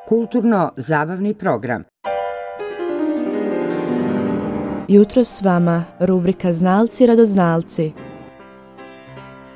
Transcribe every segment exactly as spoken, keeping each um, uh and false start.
Kulturno-zabavni program. Jutro s vama, rubrika Znalci radoznalci.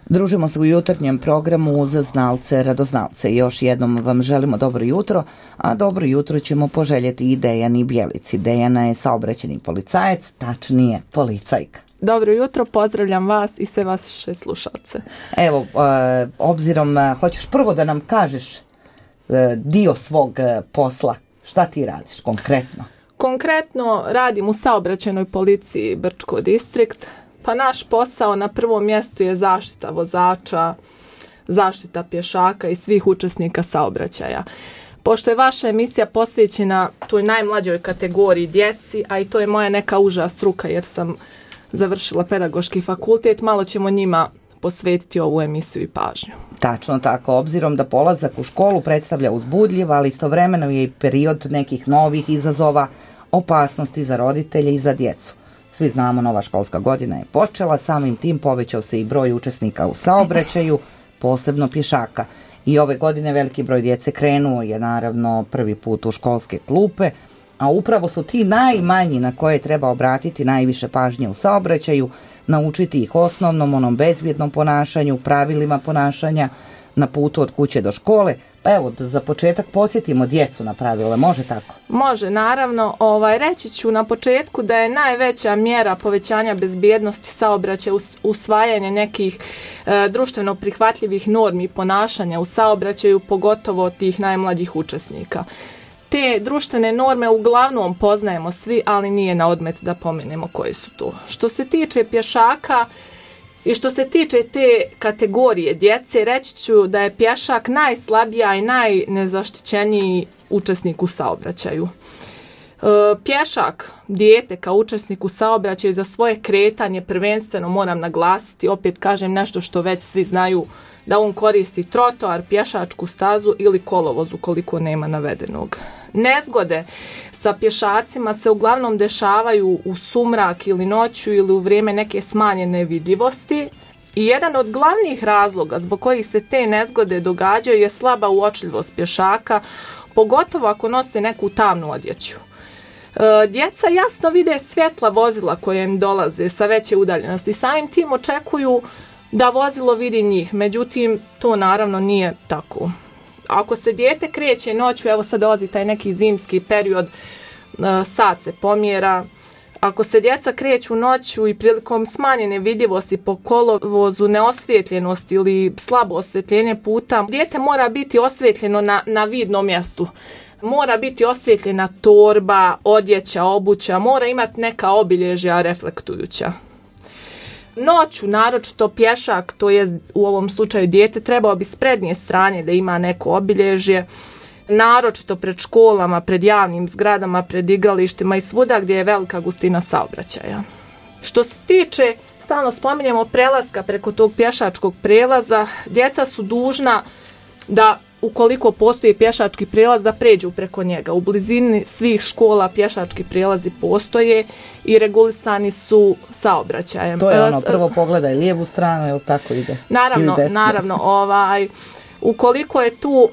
Družimo se u jutarnjem programu za znalce radoznalce. Još jednom vam želimo dobro jutro, a dobro jutro ćemo poželjeti i Dejani Bjelici. Dejana je saobraćajni policajac, tačnije policajka. Dobro jutro, pozdravljam vas i sve vaše slušalce. Evo, e, obzirom, e, hoćeš prvo da nam kažeš e, dio svog e, posla. Šta ti radiš konkretno? Konkretno radim u saobraćajnoj policiji Brčko distrikt. Pa naš posao na prvom mjestu je zaštita vozača, zaštita pješaka i svih učesnika saobraćaja. Pošto je vaša emisija posvećena toj najmlađoj kategoriji djeci, a i to je moja neka uža struka jer sam završila pedagoški fakultet, malo ćemo njima posvetiti ovu emisiju i pažnju. Tačno tako, obzirom da polazak u školu predstavlja uzbudljiv, ali istovremeno je i period nekih novih izazova, opasnosti za roditelje i za djecu. Svi znamo, nova školska godina je počela, samim tim povećao se i broj učesnika u saobraćaju, posebno pješaka. I ove godine veliki broj djece krenuo je naravno prvi put u školske klupe, a upravo su ti najmanji na koje treba obratiti najviše pažnje u saobraćaju, naučiti ih osnovnom, onom bezbjednom ponašanju, pravilima ponašanja na putu od kuće do škole. Pa evo, za početak podsjetimo djecu na pravila, može tako? Može, naravno. Ovaj, reći ću na početku da je najveća mjera povećanja bezbjednosti saobraćaja usvajanje nekih e, društveno prihvatljivih normi i ponašanja u saobraćaju, pogotovo tih najmlađih učesnika. Te društvene norme uglavnom poznajemo svi, ali nije na odmet da pomenemo koje su to. Što se tiče pješaka i što se tiče te kategorije djece, reći ću da je pješak najslabija i najnezaštićeniji učesnik u saobraćaju. E, pješak, dijete kao učesnik u saobraćaju za svoje kretanje prvenstveno moram naglasiti, opet kažem nešto što već svi znaju, da on koristi trotoar, pješačku stazu ili kolovoz ukoliko nema navedenog. Nezgode sa pješacima se uglavnom dešavaju u sumrak ili noću ili u vrijeme neke smanjene vidljivosti i jedan od glavnih razloga zbog kojih se te nezgode događaju je slaba uočljivost pješaka, pogotovo ako nose neku tamnu odjeću. E, djeca jasno vide svjetla vozila koje im dolaze sa veće udaljenosti i samim tim očekuju da vozilo vidi njih, međutim to naravno nije tako. Ako se dijete kreće noću, evo sad dolazi taj neki zimski period, sat se pomjera, ako se djeca kreću noću i prilikom smanjene vidljivosti po kolovozu, neosvjetljenosti ili slabo osvjetljenje puta, dijete mora biti osvjetljeno na, na vidnom mjestu. Mora biti osvjetljena torba, odjeća, obuća, mora imati neka obilježja reflektujuća. Noću, naročito pješak, to je u ovom slučaju dijete, trebao bi s prednje strane da ima neko obilježje, naročito pred školama, pred javnim zgradama, pred igralištima i svuda gdje je velika gustina saobraćaja. Što se tiče, stalno spominjemo prelaska preko tog pješačkog prelaza, djeca su dužna da ukoliko postoji pješački prijelaz da pređu preko njega. U blizini svih škola pješački prijelazi postoje i regulisani su saobraćajem. To je ono, prvo pogledaj lijevu stranu, ili tako ide? Naravno, naravno, ovaj, ukoliko je tu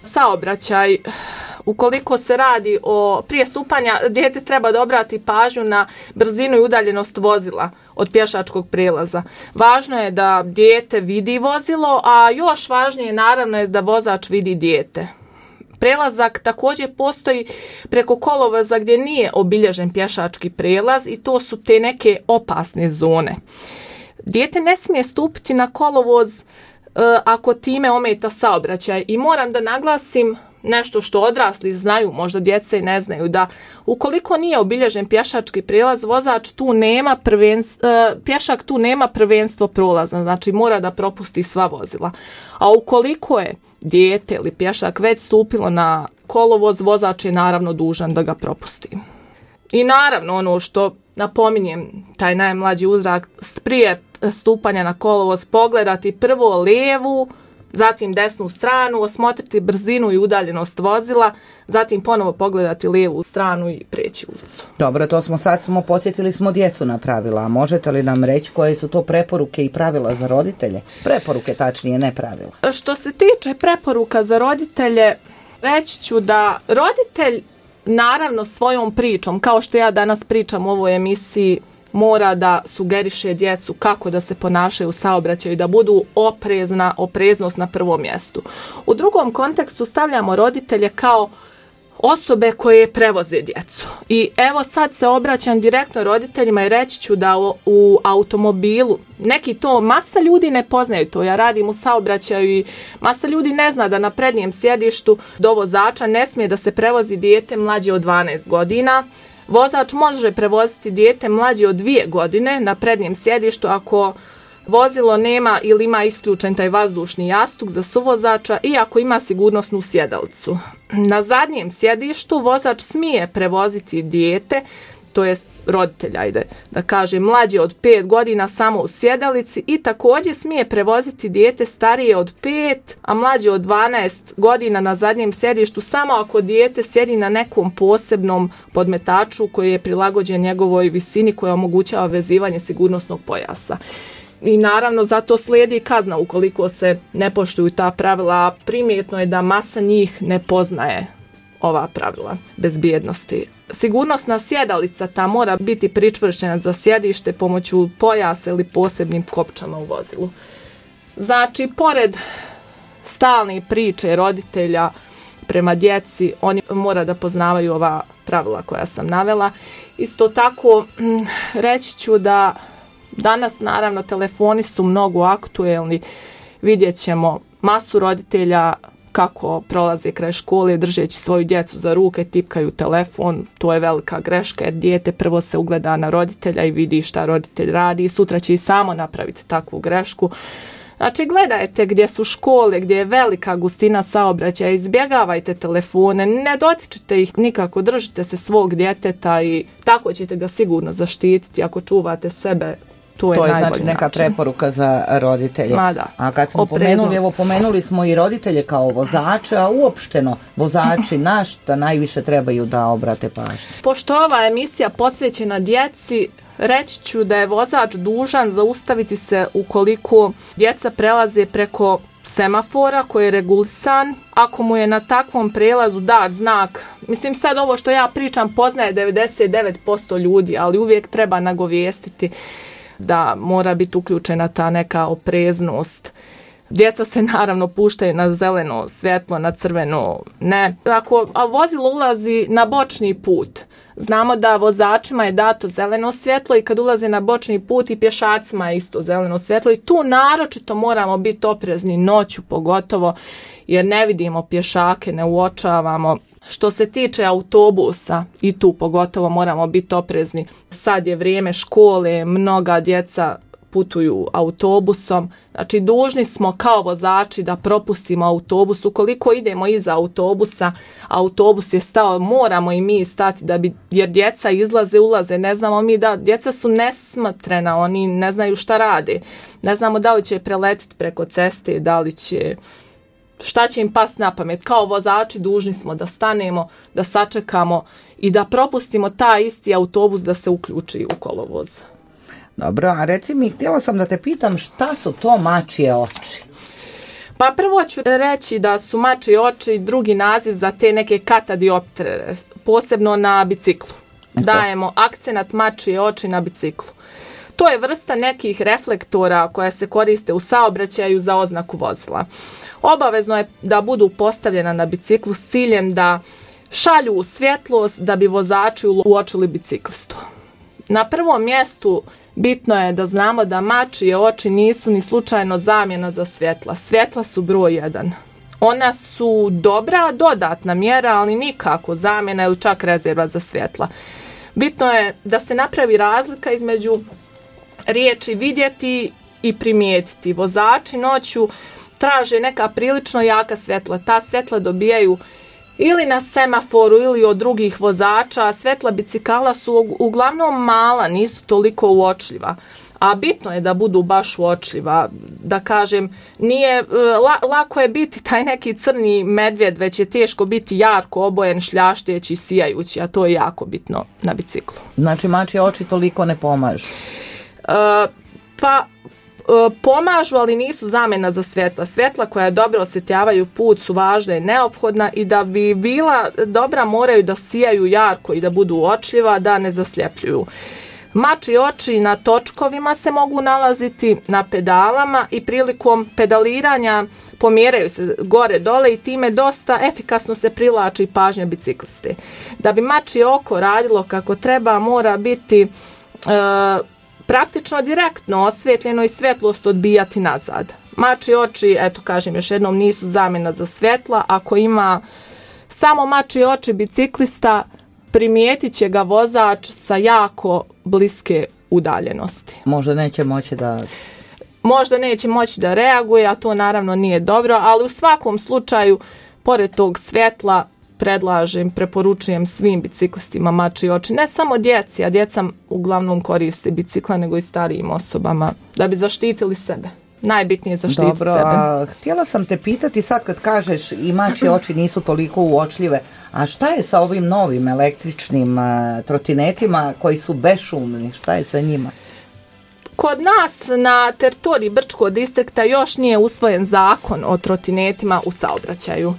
saobraćaj, ukoliko se radi o prije stupanja, dijete treba da obrati pažnju na brzinu i udaljenost vozila od pješačkog prijelaza. Važno je da dijete vidi vozilo, a još važnije naravno je da vozač vidi dijete. Prelazak također postoji preko kolovoza gdje nije obilježen pješački prijelaz i to su te neke opasne zone. Dijete ne smije stupiti na kolovoz e, ako time ometa saobraćaj i moram da naglasim nešto što odrasli znaju, možda djeca i ne znaju, da ukoliko nije obilježen pješački prijelaz, vozač tu nema prvenstvo, pješak tu nema prvenstvo prolaza, znači mora da propusti sva vozila. A ukoliko je dijete ili pješak već stupilo na kolovoz, vozač je naravno dužan da ga propusti. I naravno ono što napominjem, taj najmlađi uzrast prije stupanja na kolovoz, pogledati prvo lijevu, zatim desnu stranu, osmotriti brzinu i udaljenost vozila, zatim ponovo pogledati lijevu stranu i prijeći ulicu. Dobro, to smo sad samo podsjetili smo djecu na pravila, a možete li nam reći koje su to preporuke i pravila za roditelje? Preporuke, tačnije, ne pravila. Što se tiče preporuka za roditelje, Reći ću da roditelj naravno svojom pričom, kao što ja danas pričam u ovoj emisiji, mora da sugeriše djecu kako da se ponašaju u saobraćaju, da budu oprezna, opreznost na prvom mjestu. U drugom kontekstu stavljamo roditelje kao osobe koje prevoze djecu. I evo sad se obraćam direktno roditeljima i reći ću da u, u automobilu, neki to, masa ljudi ne poznaju to, ja radim u saobraćaju i masa ljudi ne zna da na prednjem sjedištu do vozača ne smije da se prevozi dijete mlađe od dvanaest godina. Vozač može prevoziti dijete mlađe od dvije godine na prednjem sjedištu ako vozilo nema ili ima isključen taj vazdušni jastuk za suvozača i ako ima sigurnosnu sjedalicu. Na zadnjem sjedištu vozač smije prevoziti dijete, to jest roditelj, ajde da kaže, mlađe od pet godina samo u sjedalici i također smije prevoziti dijete starije od pet, a mlađe od dvanaest godina na zadnjem sjedištu samo ako dijete sjedi na nekom posebnom podmetaču koji je prilagođen njegovoj visini koja omogućava vezivanje sigurnosnog pojasa. I naravno zato slijedi kazna ukoliko se ne poštuju ta pravila. Primjetno je da masa njih ne poznaje ova pravila bezbjednosti. Sigurnosna sjedalica ta mora biti pričvršćena za sjedište pomoću pojasa ili posebnim kopčama u vozilu. Znači, pored stalne priče roditelja prema djeci, oni mora da poznavaju ova pravila koja sam navela. Isto tako, reći ću da danas naravno telefoni su mnogo aktuelni, vidjet ćemo masu roditelja kako prolaze kraj škole držeći svoju djecu za ruke, tipkaju telefon, to je velika greška jer dijete prvo se ugleda na roditelja i vidi šta roditelj radi i sutra će i samo napraviti takvu grešku. Znači, gledajte gdje su škole, gdje je velika gustina saobraćaja, izbjegavajte telefone, ne dotičite ih nikako, držite se svog djeteta i tako ćete ga sigurno zaštititi ako čuvate sebe. To je, to je znači neka način. Preporuka za roditelje. Da. A kad smo pomenuli, evo pomenuli smo i roditelje kao vozače, a uopšteno vozači na šta najviše trebaju da obrate pažnju. Pošto ova emisija posvećena djeci, reći ću da je vozač dužan zaustaviti se ukoliko djeca prelaze preko semafora koji je regulisan. Ako mu je na takvom prelazu dat znak, mislim sad ovo što ja pričam poznaje devedeset devet posto ljudi, ali uvijek treba nagovijestiti da mora biti uključena ta neka opreznost. Djeca se naravno puštaju na zeleno svjetlo, na crveno ne. Ako vozilo ulazi na bočni put, znamo da vozačima je dato zeleno svjetlo i kad ulaze na bočni put i pješacima je isto zeleno svjetlo i tu naročito moramo biti oprezni noću pogotovo jer ne vidimo pješake, ne uočavamo. Što se tiče autobusa, i tu pogotovo moramo biti oprezni. Sad je vrijeme škole, mnoga djeca putuju autobusom. Znači, dužni smo kao vozači da propustimo autobus. Ukoliko idemo iza autobusa, autobus je stao, moramo i mi stati da bi, jer djeca izlaze, ulaze, ne znamo mi da, djeca su nesmotrena, oni ne znaju šta rade. Ne znamo da li će preletiti preko ceste, da li će, šta će im past na pamet. Kao vozači dužni smo da stanemo, da sačekamo i da propustimo taj isti autobus da se uključi u kolovoz. Dobro, a reci mi, htjela sam da te pitam šta su to mačje oči? Pa prvo ću reći da su mačje oči drugi naziv za te neke katadioptere, posebno na biciklu. Eto. Dajemo akcenat mačje oči na biciklu. To je vrsta nekih reflektora koja se koriste u saobraćaju za oznaku vozila. Obavezno je da budu postavljena na biciklu s ciljem da šalju svjetlost da bi vozači uočili biciklistu. Na prvom mjestu bitno je da znamo da mačje oči nisu ni slučajno zamjena za svjetla. Svjetla su broj jedan. Ona su dobra, dodatna mjera, ali nikako zamjena ili čak rezerva za svjetla. Bitno je da se napravi razlika između riječi vidjeti i primijetiti. Vozači noću traže neka prilično jaka svjetla. Ta svjetla dobijaju ili na semaforu ili od drugih vozača. Svjetla bicikala su uglavnom mala, nisu toliko uočljiva. A bitno je da budu baš uočljiva. Da kažem, nije, la, lako je biti taj neki crni medvjed, već je teško biti jarko obojen, šljaštjeći, sijajući, a to je jako bitno na biciklu. Znači mačje oči toliko ne pomažu? Uh, pa pomažu, ali nisu zamjena za svjetla. Svjetla koja dobro osvjetljavaju put su važna i neophodna i da bi bila dobra moraju da sijaju jarko i da budu uočljiva, da ne zasljepljuju. Mačji oči na točkovima se mogu nalaziti, na pedalama i prilikom pedaliranja pomjeraju se gore dole i time dosta efikasno se privlači pažnja bicikliste. Da bi mačje oko radilo kako treba, mora biti e, praktično direktno osvjetljeno i svjetlost odbijati nazad. Mačji oči, eto kažem još jednom, nisu zamjena za svjetla. Ako ima samo mačji oči biciklista, primijetit će ga vozač sa jako bliske udaljenosti. Možda neće moći da... Možda neće moći da reaguje, a to naravno nije dobro, ali u svakom slučaju, pored tog svjetla, predlažem, preporučujem svim biciklistima mačji oči. Ne samo djeci, a djeca uglavnom koriste bicikla, nego i starijim osobama, da bi zaštitili sebe. Najbitnije je zaštititi Dobro, sebe. A htjela sam te pitati sad kad kažeš i mačje oči nisu toliko uočljive, a šta je sa ovim novim električnim uh, trotinetima koji su bešumni, šta je sa njima? Kod nas na teritoriji Brčkog distrikta još nije usvojen zakon o trotinetima u saobraćaju.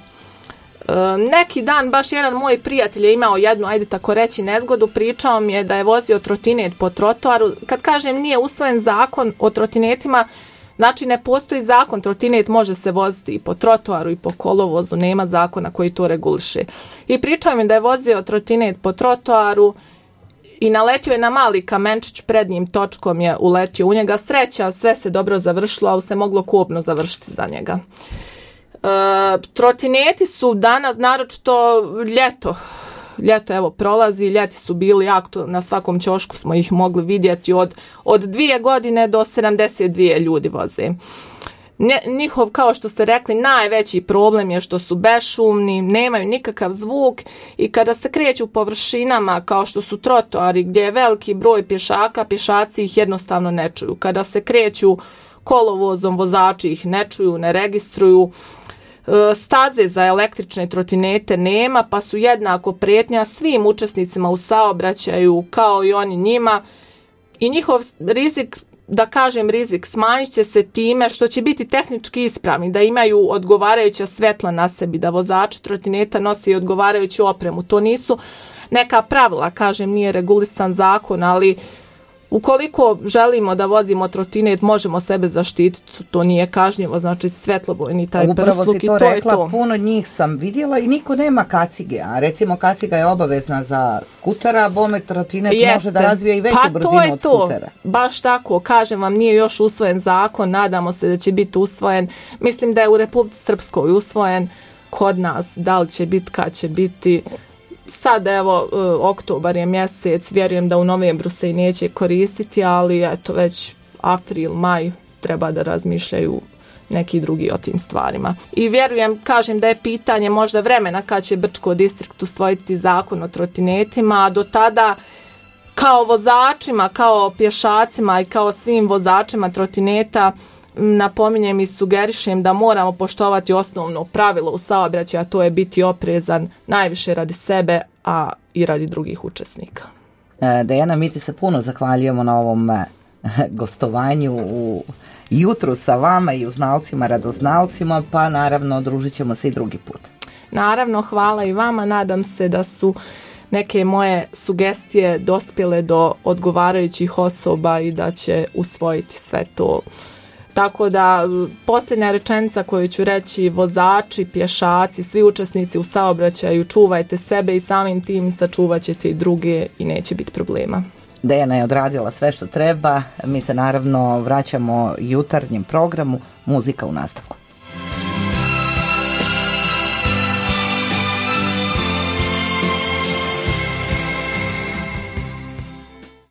E, neki dan baš jedan moj prijatelj je imao jednu, ajde tako reći, nezgodu, pričao mi je da je vozio trotinet po trotoaru. Kad kažem nije usvojen zakon o trotinetima, znači ne postoji zakon, trotinet može se voziti i po trotoaru i po kolovozu, nema zakona koji to reguliše. I pričao mi da je vozio trotinet po trotoaru i naletio je na mali kamenčić, pred njim točkom je uletio u njega. Sreća, sve se dobro završilo, ali se moglo kobno završiti za njega. E, trotineti su danas, naročito ljeto, ljeto evo prolazi, ljeti su bili jako, na svakom ćošku smo ih mogli vidjeti, od, od dvije godine do sedamdeset dvije ljudi voze. Ne, njihov, kao što ste rekli, najveći problem je što su bešumni, nemaju nikakav zvuk i kada se kreću površinama kao što su trotoari gdje je veliki broj pješaka, pješaci ih jednostavno ne čuju. Kada se kreću kolovozom, vozači ih ne čuju, ne registruju. Staze za električne trotinete nema, pa su jednako prijetnja svim učesnicima u saobraćaju kao i oni njima i njihov rizik, da kažem rizik, smanjit će se time što će biti tehnički ispravni, da imaju odgovarajuća svjetla na sebi, da vozači trotineta nosi odgovarajuću opremu. To nisu neka pravila, kažem, nije regulisan zakon, ali ukoliko želimo da vozimo trotinet, možemo sebe zaštititi, to nije kažnjivo, znači svetlobojni taj prsluk i to, to je to. Upravo si to rekla, to. Puno njih sam vidjela i niko nema kacige, a recimo kaciga je obavezna za skutera, a bome trotinet Jeste. može da razvije i veću pa brzinu od to. skutera. Baš tako, kažem vam, nije još usvojen zakon, nadamo se da će biti usvojen, mislim da je u Republici Srpskoj usvojen, kod nas, da li će biti, kad će biti. Sad evo, oktobar je mjesec, vjerujem da u novembru se i neće koristiti, ali eto već april, maj treba da razmišljaju neki drugi o tim stvarima. I vjerujem, kažem da je pitanje možda vremena kad će Brčko distrikt usvojiti zakon o trotinetima, a do tada kao vozačima, kao pješacima i kao svim vozačima trotineta napominjem i sugerišem da moramo poštovati osnovno pravilo u saobraćaju, a to je biti oprezan najviše radi sebe, a i radi drugih učesnika. Dejana, mi ti se puno zahvaljujemo na ovom gostovanju u jutru sa vama i uznalcima, radoznalcima, pa naravno družit ćemo se i drugi put. Naravno, hvala i vama, nadam se da su neke moje sugestije dospjele do odgovarajućih osoba i da će usvojiti sve to. Tako da posljednja rečenica koju ću reći, vozači, pješaci, svi učesnici u saobraćaju, čuvajte sebe i samim tim sačuvat ćete i druge i neće biti problema. Dejana je odradila sve što treba, mi se naravno vraćamo jutarnjem programu Muzika u nastavku.